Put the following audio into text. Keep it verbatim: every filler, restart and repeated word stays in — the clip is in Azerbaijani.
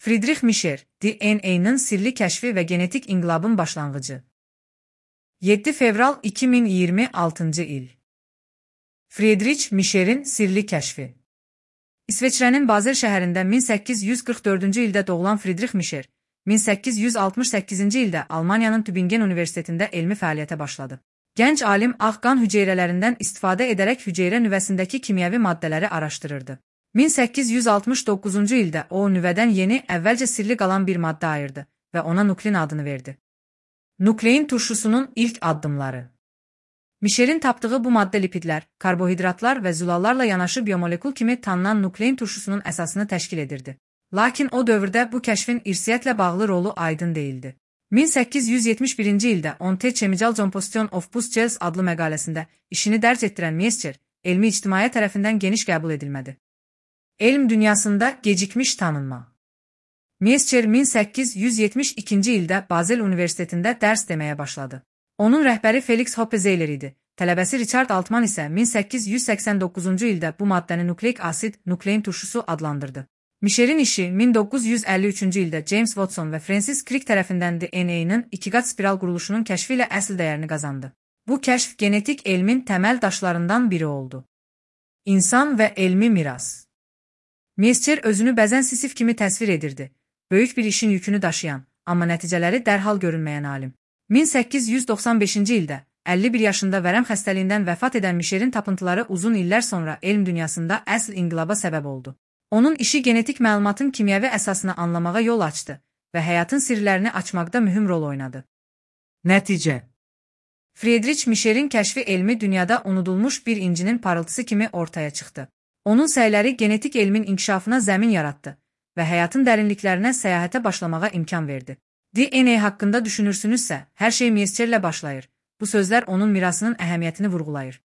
Friedrich Micher, D N A'nın sirli kəşfi və genetik inqilabın başlanğıcı. yeddi fevral iki min iyirmi altıncı il. Friedrich Micher'in sirli kəşfi. İsveçrənin Basel şəhərində min səkkiz yüz qırx dördüncü ildə doğulan Friedrich Micher, min səkkiz yüz altmış səkkizinci ildə Almaniyanın Tübingen Universitetində elmi fəaliyyətə başladı. Gənc alim ağ qan hüceyrələrindən istifadə edərək hüceyrə nüvəsindəki kimyəvi maddələri araşdırırdı. min səkkiz yüz altmış doqquzuncu ildə o nüvədən yeni, əvvəlcə sirli qalan bir maddə ayırdı və ona nuklein adını verdi. Nuklein turşusunun ilk addımları. Micher'in tapdığı bu maddə lipidlər, karbohidratlar və zülallarla yanaşı biomolekul kimi tanınan nuklein turşusunun əsasını təşkil edirdi. Lakin o dövrdə bu kəşfin irsiyyətlə bağlı rolu aydın değildi. min səkkiz yüz yetmiş birinci ildə On the Chemical Composition of Boost Gels adlı məqaləsində işini dərc etdirən Miescher, elmi ictimaiyyət tərəfindən geniş qəbul edilmədi. Elm dünyasında gecikmiş tanınma. Miescher min səkkiz yüz yetmiş ikinci ildə Basel Universitetində dərs deməyə başladı. Onun rəhbəri Felix Hoppe Zeller idi. Tələbəsi Richard Altman isə min səkkiz yüz səksən doqquzuncu ildə bu maddəni nukleik asid, nuklein turşusu adlandırdı. Micher'in işi min doqquz yüz əlli üçüncü ildə James Watson və Francis Crick tərəfindən D N A'nın ikiqat spiral quruluşunun kəşfi ilə əsl dəyərini qazandı. Bu kəşf genetik elmin təməl daşlarından biri oldu. İnsan və elmi miras. Miescher özünü bəzən Sisif kimi təsvir edirdi. Böyük bir işin yükünü daşıyan, amma nəticələri dərhal görünməyən alim. min səkkiz yüz doxsan beşinci ildə əlli bir yaşında vərəm xəstəliyindən vəfat edən Micher'in tapıntıları uzun illər sonra elm dünyasında əsl inqilaba səbəb oldu. Onun işi genetik məlumatın kimyəvi əsasını anlamağa yol açdı və həyatın sirlərini açmaqda mühüm rol oynadı. Nəticə. Friedrich Micher'in kəşfi elmi dünyada unudulmuş bir incinin parıltısı kimi ortaya çıxdı. Onun səyləri genetik elmin inkişafına zəmin yaratdı və həyatın dərinliklərinə səyahətə başlamağa imkan verdi. D N A haqqında düşünürsünüzsə, hər şey Miescherlə başlayır. Bu sözlər onun mirasının əhəmiyyətini vurğulayır.